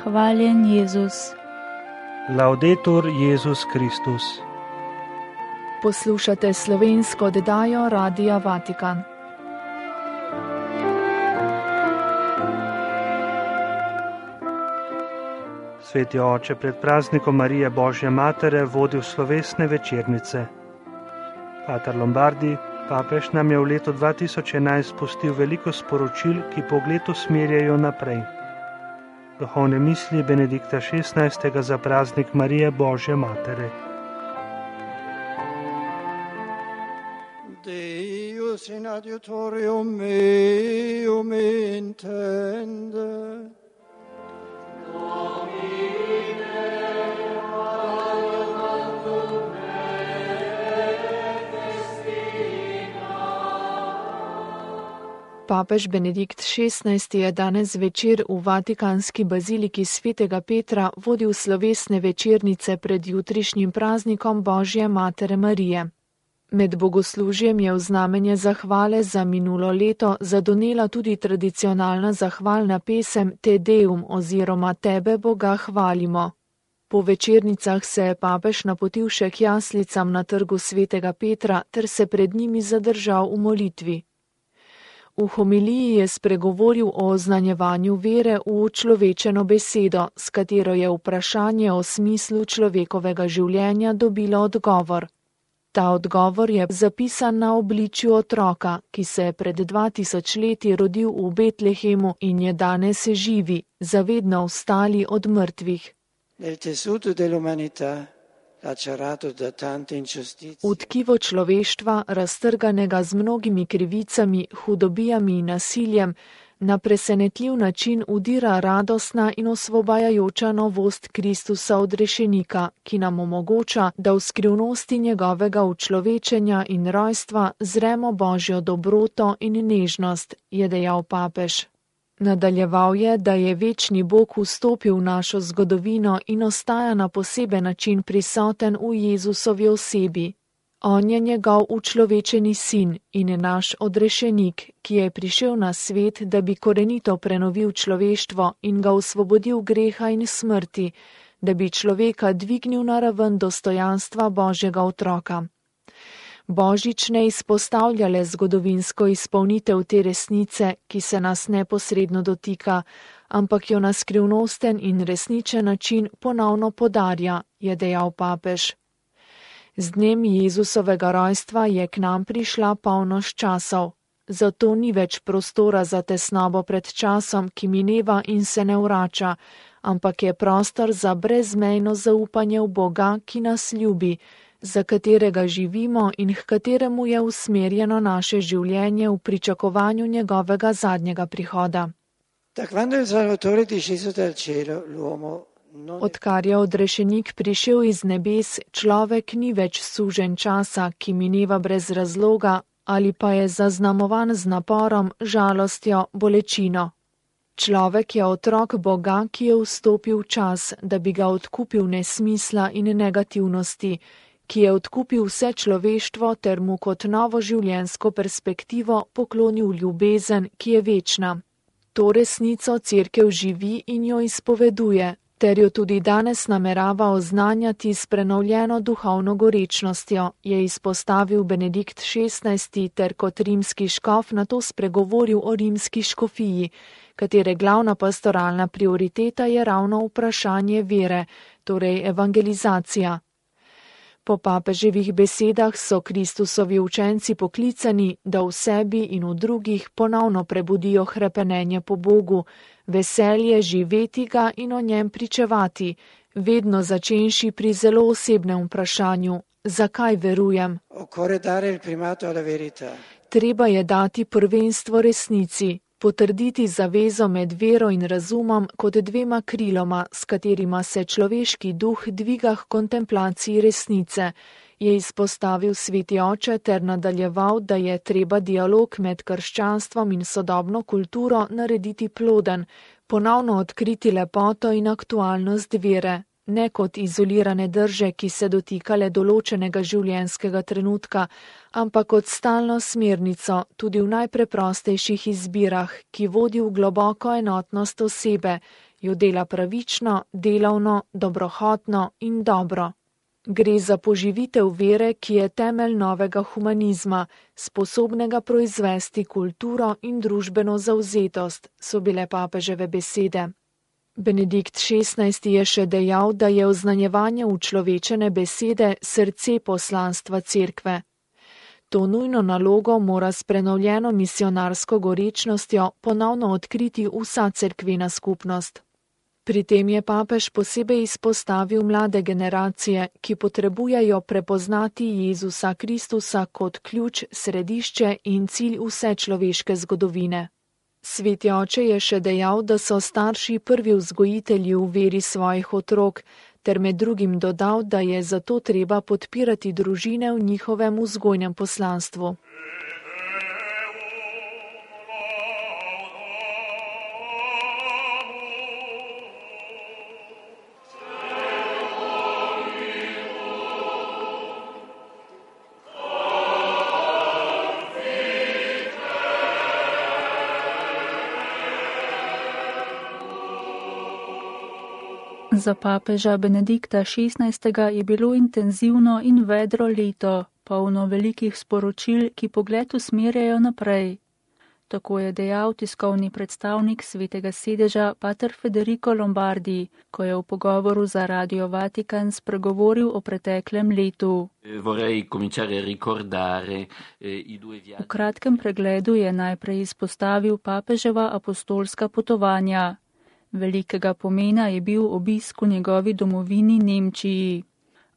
Hvaljen Jezus. Laudetur Jezus Kristus. Poslušate slovensko oddajo Radia Vatikan. Sveti oče, pred praznikom Marije Božje Matere vodil slovesne večernice. Pater Lombardi, papež nam je v letu 2011 pustil veliko sporočil, ki pogled usmerjajo naprej. Duhovne misli Benedikta XVI. Za praznik Marije Božje Matere. Deus in adiutorium meum intende. Papež Benedikt XVI. Je danes večer v Vatikanski baziliki svetega Petra vodil slovesne večernice pred jutrišnjim praznikom Božje Matere Marije. Med bogoslužjem je v znamenje zahvale za minulo leto zadonela tudi tradicionalna zahvalna pesem Te Deum oziroma Tebe Boga hvalimo. Po večernicah se je papež napotil še k jaslicam na trgu svetega Petra ter se pred njimi zadržal v molitvi. V homiliji je spregovoril o oznanjevanju vere v človečeno besedo, s katero je vprašanje o smislu človekovega življenja dobilo odgovor. Ta odgovor je zapisan na obličju otroka, ki se je pred 2000 leti rodil v Betlehemu in je danes živi, zavedno vstali od mrtvih. V tkivo človeštva, raztrganega z mnogimi krivicami, hudobijami in nasiljem, na presenetljiv način udira radostna in osvobajajoča novost Kristusa odrešenika, ki nam omogoča, da v skrivnosti njegovega učlovečenja in rojstva zremo Božjo dobroto in nežnost, je dejal papež. Nadaljeval je, da je večni Bog vstopil v našo zgodovino in ostaja na poseben način prisoten v Jezusovi osebi. On je njegov učlovečeni sin in je naš odrešenik, ki je prišel na svet, da bi korenito prenovil človeštvo in ga osvobodil greha in smrti, da bi človeka dvignil na raven dostojanstva Božjega otroka. Božič ne izpostavlja le zgodovinsko izpolnitev te resnice, ki se nas neposredno dotika, ampak jo na skrivnosten in resničen način ponovno podarja, je dejal papež. Z dnem Jezusovega rojstva je k nam prišla polnoč časov, zato ni več prostora za tesnobo pred časom, ki mineva in se ne vrača, ampak je prostor za brezmejno zaupanje v Boga, ki nas ljubi, za katerega živimo in k kateremu je usmerjeno naše življenje v pričakovanju njegovega zadnjega prihoda. Odkar je odrešenik prišel iz nebes, človek ni več suženj časa, ki mineva brez razloga ali pa je zaznamovan z naporom, žalostjo, bolečino. Človek je otrok Boga, ki je vstopil v čas, da bi ga odkupil nesmisla in negativnosti, ki je odkupil vse človeštvo ter mu kot novo življenjsko perspektivo poklonil ljubezen, ki je večna. To resnico Cerkev živi in jo izpoveduje, ter jo tudi danes namerava oznanjati s prenovljeno duhovno gorečnostjo, je izpostavil Benedikt XVI. Ter kot rimski škof nato spregovoril o rimski škofiji, katere glavna pastoralna prioriteta je ravno vprašanje vere, torej evangelizacija. Po papeževih besedah so Kristusovi učenci poklicani, da v sebi in v drugih ponovno prebudijo hrepenenje po Bogu, veselje živeti ga in o njem pričevati, vedno začenši pri zelo osebnem vprašanju, zakaj verujem. Treba je dati prvenstvo resnici, potrditi zavezo med vero in razumom kot dvema kriloma, s katerima se človeški duh dviga k kontemplaciji resnice, je izpostavil sveti oče ter nadaljeval, da je treba dialog med krščanstvom in sodobno kulturo narediti ploden, ponovno odkriti lepoto in aktualnost vere, ne kot izolirane drže, ki se dotikale določenega življenjskega trenutka, ampak kot stalno smernico tudi v najpreprostejših izbirah, ki vodi v globoko enotnost osebe, jo dela pravično, delavno, dobrohotno in dobro. Gre za poživitev vere, ki je temelj novega humanizma, sposobnega proizvesti kulturo in družbeno zavzetost, so bile papeževe besede. Benedikt XVI. Je še dejal, da je oznanjevanje učlovečene besede srce poslanstva cerkve. To nujno nalogo mora s prenovljeno misionarsko gorečnostjo ponovno odkriti vsa cerkvena skupnost. Pri tem je papež posebej izpostavil mlade generacije, ki potrebujejo prepoznati Jezusa Kristusa kot ključ, središče in cilj vse človeške zgodovine. Sveti oče je še dejal, da so starši prvi vzgojitelji v veri svojih otrok, ter med drugim dodal, da je zato treba podpirati družine v njihovem vzgojnem poslanstvu. Za papeža Benedikta XVI. Je bilo intenzivno in vedro leto, polno velikih sporočil, ki pogled usmerjajo naprej. Tako je dejal tiskovni predstavnik Svetega sedeža pater Federico Lombardi, ko je v pogovoru za Radio Vatikan spregovoril o preteklem letu. V kratkem pregledu je najprej izpostavil papeževa apostolska potovanja. Velikega pomena je bil obisk v njegovi domovini Nemčiji.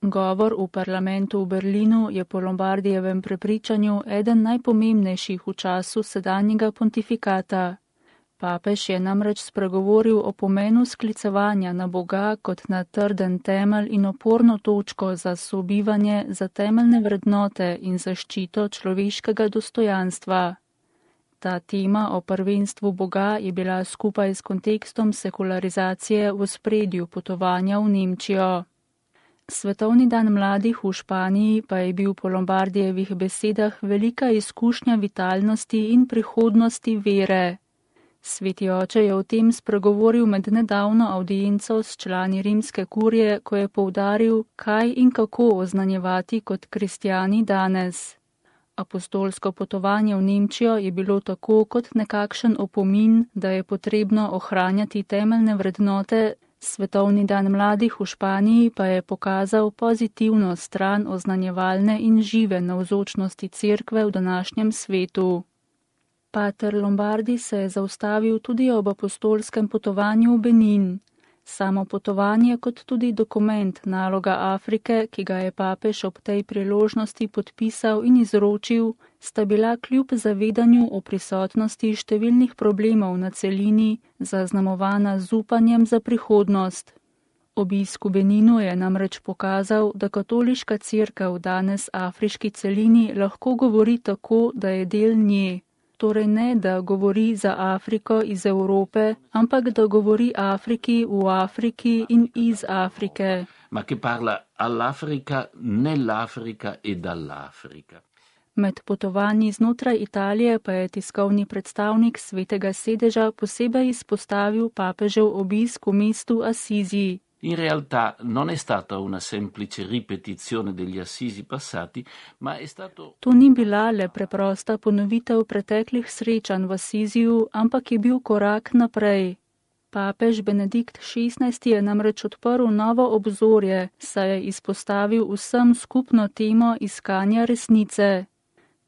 Govor v parlamentu v Berlinu je po Lombardijevem prepričanju eden najpomembnejših v času sedanjega pontifikata. Papež je namreč spregovoril o pomenu sklicevanja na Boga kot na trden temelj in oporno točko za sobivanje, za temeljne vrednote in zaščito človeškega dostojanstva. Ta tema o prvenstvu Boga je bila skupaj s kontekstom sekularizacije v ospredju potovanja v Nemčijo. Svetovni dan mladih v Španiji pa je bil po Lombardijevih besedah velika izkušnja vitalnosti in prihodnosti vere. Sveti oče je o tem spregovoril med nedavno avdienco s člani rimske kurije, ko je poudaril, kaj in kako oznanjevati kot kristjani danes. Apostolsko potovanje v Nemčijo je bilo tako kot nekakšen opomin, da je potrebno ohranjati temeljne vrednote, Svetovni dan mladih v Španiji pa je pokazal pozitivno stran oznanjevalne in žive navzočnosti cerkve v današnjem svetu. Pater Lombardi se je zaustavil tudi ob apostolskem potovanju v Benin. Samo potovanje kot tudi dokument naloga Afrike, ki ga je papež ob tej priložnosti podpisal in izročil, sta bila kljub zavedanju o prisotnosti številnih problemov na celini zaznamovana z upanjem za prihodnost. Obisk v Beninu je namreč pokazal, da katoliška cerkev danes afriški celini lahko govori tako, da je del nje. Torej ne, da govori za Afriko iz Evrope, ampak da govori Afriki v Afriki in iz Afrike. Ma che parla all'Africa, nell'Africa e dall'Africa. Med potovanji znotraj Italije pa je tiskovni predstavnik Svetega sedeža posebej izpostavil papežev obisk v mestu Assisi. In realtà non è stata una semplice ripetizione degli assisi passati, ma è stato... To ni bila le preprosta ponovitev preteklih srečanj v Assisiju, ampak je bil korak naprej. Papež Benedikt XVI. Je namreč odprl novo obzorje, saj je izpostavil vsem skupno temo iskanja resnice.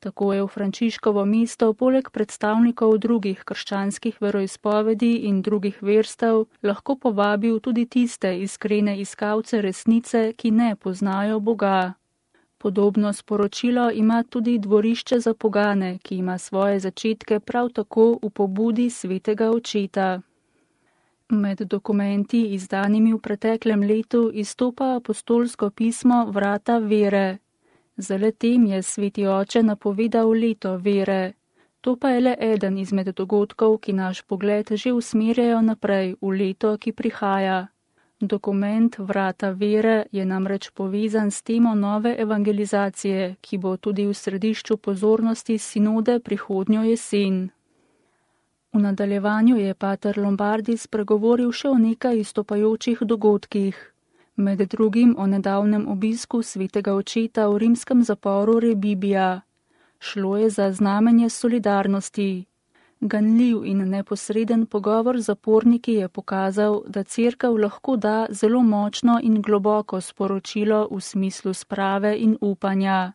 Tako je v Frančiškovo mesto poleg predstavnikov drugih krščanskih veroizpovedi in drugih verstev lahko povabil tudi tiste iskrene iskalce resnice, ki ne poznajo Boga. Podobno sporočilo ima tudi dvorišče za pogane, ki ima svoje začetke prav tako v pobudi Svetega očeta. Med dokumenti izdanimi v preteklem letu izstopa apostolsko pismo Vrata vere. Za letem je Sveti oče napovedal leto vere. To pa je le eden izmed dogodkov, ki naš pogled že usmerjajo naprej v leto, ki prihaja. Dokument Vrata vere je namreč povezan s temo nove evangelizacije, ki bo tudi v središču pozornosti sinode prihodnjo jesen. V nadaljevanju je pater Lombardi spregovoril še o nekaj izstopajočih dogodkih. Med drugim o nedavnem obisku svetega očeta v rimskem zaporu Rebibbia. Šlo je za znamenje solidarnosti. Ganljiv in neposreden pogovor z zaporniki je pokazal, da cerkev lahko da zelo močno in globoko sporočilo v smislu sprave in upanja.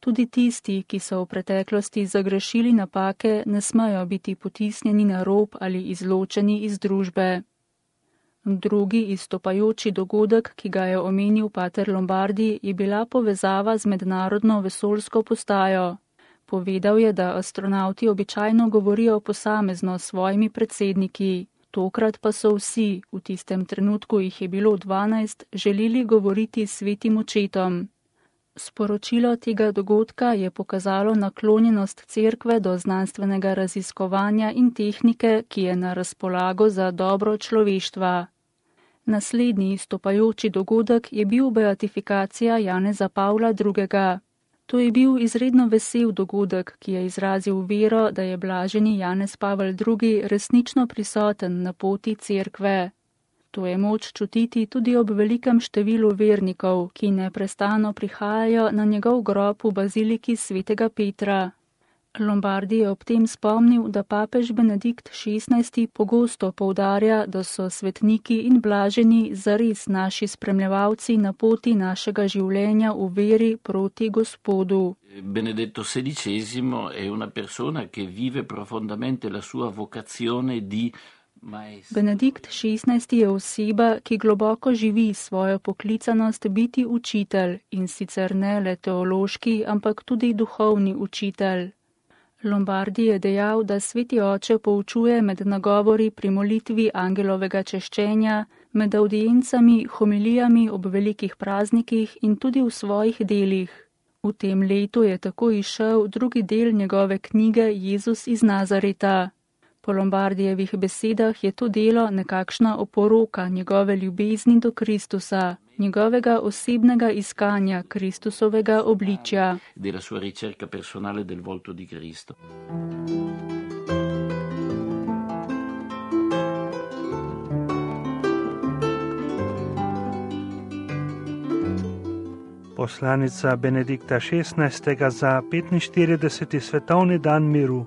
Tudi tisti, ki so v preteklosti zagrešili napake, ne smejo biti potisnjeni na rob ali izločeni iz družbe. Drugi izstopajoči dogodek, ki ga je omenil pater Lombardi, je bila povezava z mednarodno vesoljsko postajo. Povedal je, da astronavti običajno govorijo posamezno s svojimi predsedniki. Tokrat pa so vsi, v tistem trenutku jih je bilo 12, želeli govoriti s svetim očetom. Sporočilo tega dogodka je pokazalo naklonjenost cerkve do znanstvenega raziskovanja in tehnike, ki je na razpolago za dobro človeštva. Naslednji izstopajoči dogodek je bil beatifikacija Janeza Pavla II. To je bil izredno vesel dogodek, ki je izrazil vero, da je blaženi Janez Pavel II. Resnično prisoten na poti cerkve. To je moč čutiti tudi ob velikem številu vernikov, ki neprestano prihajajo na njegov grob v baziliki svetega Petra. Lombardi je ob tem spomnil, da papež Benedikt XVI. Pogosto poudarja, da so svetniki in blaženi zares naši spremljevalci na poti našega življenja v veri proti Gospodu. Benedetto XVI è una persona che vive profondamente la sua vocazione di maestro. Benedikt XVI. Je oseba, ki globoko živi svojo poklicanost biti učitelj, in sicer ne le teološki, ampak tudi duhovni učitelj. Lombardi je dejal, da sveti oče poučuje med nagovori pri molitvi angelovega češčenja, med audiencami, homilijami ob velikih praznikih in tudi v svojih delih. V tem letu je tako izšel drugi del njegove knjige Jezus iz Nazareta. Po Lombardijevih besedah je to delo nekakšna oporoka njegove ljubezni do Kristusa, njegovega osebnega iskanja Kristusovega obličja. Della sua ricerca personale del volto di Cristo. Poslanica Benedikta XVI. Za 45. svetovni dan miru.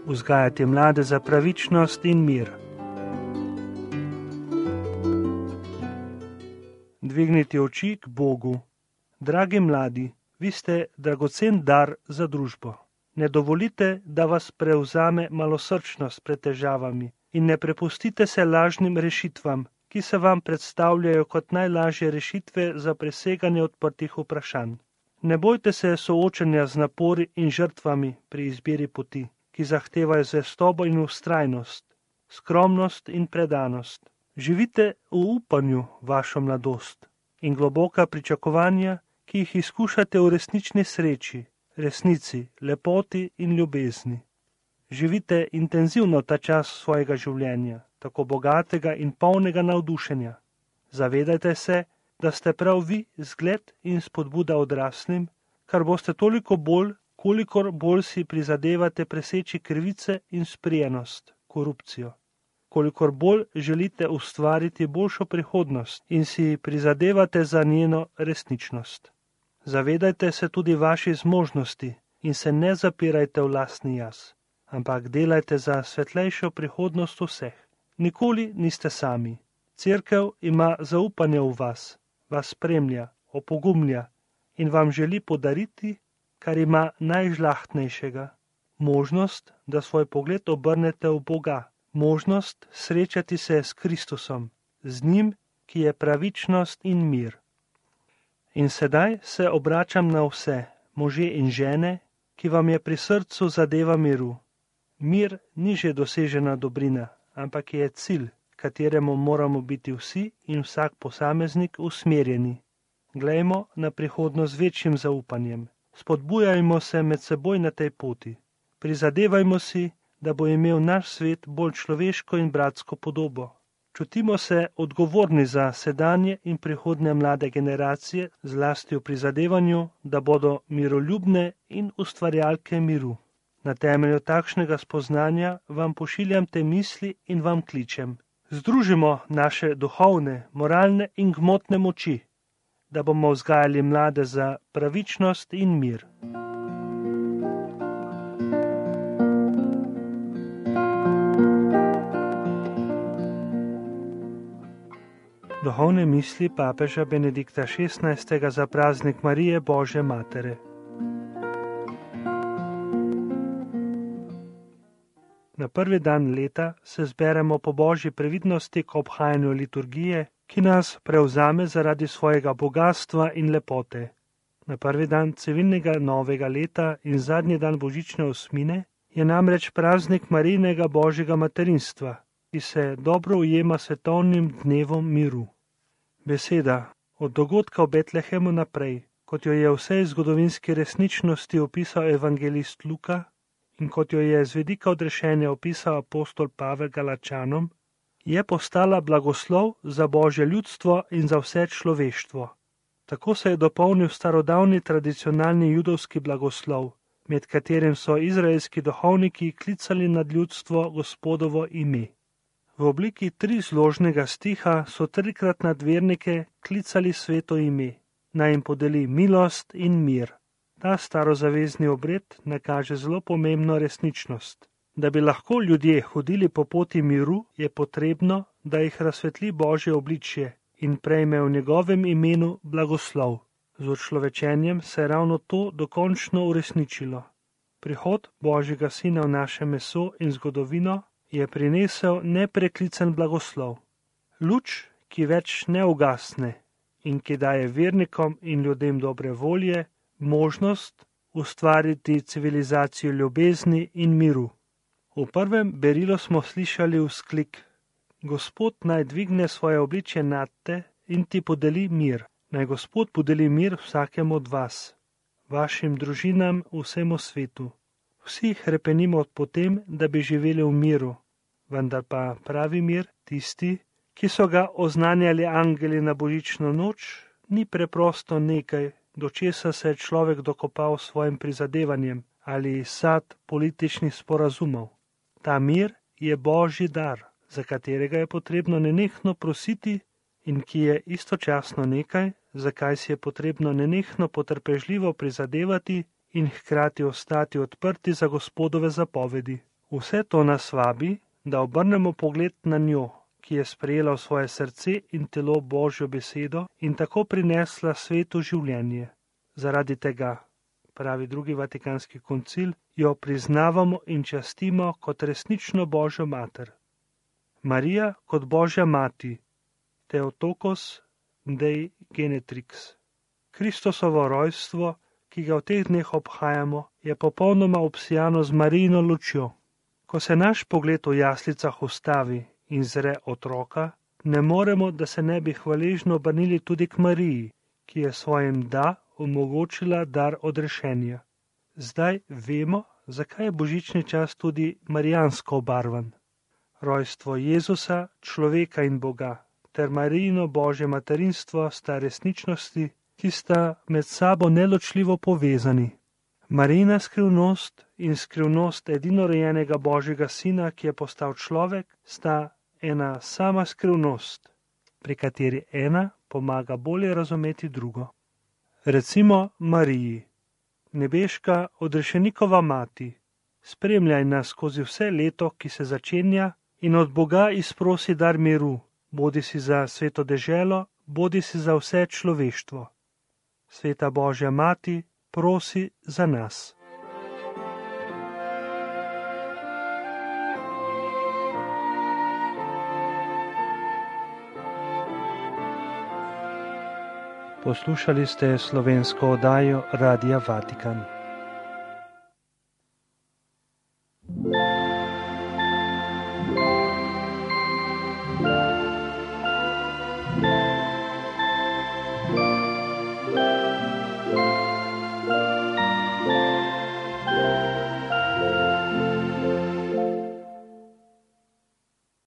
Vzgajati mlade za pravičnost in mir. Dvigniti oči k Bogu. Dragi mladi, vi ste dragocen dar za družbo. Ne dovolite, da vas prevzame malosrčnost pred težavami in ne prepustite se lažnim rešitvam, ki se vam predstavljajo kot najlažje rešitve za preseganje odprtih vprašanj. Ne bojte se soočenja z napori in žrtvami pri izbiri poti, ki zahtevajo zvestobo in vztrajnost, skromnost in predanost. Živite v upanju vašo mladost in globoka pričakovanja, ki jih izkušate v resnični sreči, resnici, lepoti in ljubezni. Živite intenzivno ta čas svojega življenja, tako bogatega in polnega navdušenja. Zavedajte se, da ste prav vi zgled in spodbuda odraslim, kar boste toliko bolj, kolikor bolj si prizadevate preseči krivice in sprijenost, korupcijo. Kolikor bolj želite ustvariti boljšo prihodnost in si prizadevate za njeno resničnost. Zavedajte se tudi vaši zmožnosti in se ne zapirajte v lastni jaz, ampak delajte za svetlejšo prihodnost vseh. Nikoli niste sami. Cerkev ima zaupanje v vas spremlja, opogumlja in vam želi podariti, kar ima najžlahtnejšega, možnost, da svoj pogled obrnete v Boga, možnost srečati se s Kristusom, z njim, ki je pravičnost in mir. In sedaj se obračam na vse, može in žene, ki vam je pri srcu zadeva miru. Mir ni že dosežena dobrina, ampak je cilj, kateremu moramo biti vsi in vsak posameznik usmerjeni. Glejmo na prihodnost z večjim zaupanjem. Spodbujajmo se med seboj na tej poti. Prizadevajmo si, da bo imel naš svet bolj človeško in bratsko podobo. Čutimo se odgovorni za sedanje in prihodnje mlade generacije, zlasti v prizadevanju, da bodo miroljubne in ustvarjalke miru. Na temelju takšnega spoznanja vam pošiljam te misli in vam kličem. Združimo naše duhovne, moralne in gmotne moči, da bomo vzgajali mlade za pravičnost in mir. Duhovne misli papeža Benedikta XVI. Za praznik Marije Božje Matere. Na prvi dan leta se zberemo po Božji previdnosti k obhajanju liturgije, ki nas prevzame zaradi svojega bogatstva in lepote. Na prvi dan civilnega novega leta in zadnji dan božične osmine je namreč praznik Marijinega Božjega materinstva, ki se dobro ujema svetovnim dnevom miru. Beseda od dogodka v Betlehemu naprej, kot jo je v vsej zgodovinski resničnosti opisal evangelist Luka in kot jo je z vidika odrešenja opisal apostol Pavel Galačanom, je postala blagoslov za Božje ljudstvo in za vse človeštvo. Tako se je dopolnil starodavni tradicionalni judovski blagoslov, med katerim so izraelski duhovniki klicali nad ljudstvo Gospodovo ime. V obliki trizložnega stiha so trikrat nad vernike klicali sveto ime, naj jim podeli milost in mir. Ta starozavezni obred nakaže zelo pomembno resničnost. Da bi lahko ljudje hodili po poti miru, je potrebno, da jih razsvetli Božje obličje in prejme v njegovem imenu blagoslov. Z učlovečenjem se je ravno to dokončno uresničilo. Prihod Božjega Sina v naše meso in zgodovino je prinesel nepreklican blagoslov. Luč, ki več ne ugasne in ki daje vernikom in ljudem dobre volje, možnost ustvariti civilizacijo ljubezni in miru. V prvem berilu smo slišali vzklik: Gospod naj dvigne svoje obličje nad te in ti podeli mir. Naj Gospod podeli mir vsakemu od vas, vašim družinam, vsemu svetu. Vsi hrepenimo po tem, da bi živeli v miru, vendar pa pravi mir, tisti, ki so ga oznanjali angeli na božično noč, ni preprosto nekaj, do česa se je človek dokopal s svojim prizadevanjem ali sad političnih sporazumov. Ta mir je Božji dar, za katerega je potrebno nenehno prositi in ki je istočasno nekaj, za kaj si je potrebno nenehno potrpežljivo prizadevati in hkrati ostati odprti za Gospodove zapovedi. Vse to nas vabi, da obrnemo pogled na njo, ki je sprejela v svoje srce in telo Božjo besedo in tako prinesla svetu življenje. Zaradi tega, pravi drugi Vatikanski koncil, jo priznavamo in častimo kot resnično Božjo mater. Marija kot Božja mati, Theotokos Dei Genetrix. Kristosovo rojstvo, ki ga v teh dneh obhajamo, je popolnoma obsijano z Marijino lučjo. Ko se naš pogled v jaslicah ustavi in zre otroka, ne moremo, da se ne bi hvaležno obrnili tudi k Mariji, ki je svojim da omogočila dar odrešenja. Zdaj vemo, zakaj je božični čas tudi marijansko obarvan. Rojstvo Jezusa, človeka in Boga, ter Marijino Božje materinstvo sta resničnosti, ki sta med sabo neločljivo povezani. Marijina skrivnost in skrivnost edinorojenega Božjega Sina, ki je postal človek, sta ena sama skrivnost, pri kateri ena pomaga bolje razumeti drugo. Recimo Mariji, nebeška odrešenikova mati, spremljaj nas skozi vse leto, ki se začenja, in od Boga izprosi dar miru, bodi si za sveto deželo, bodi si za vse človeštvo. Sveta Božja mati, prosi za nas. Poslušali ste slovensko oddajo Radia Vatikan.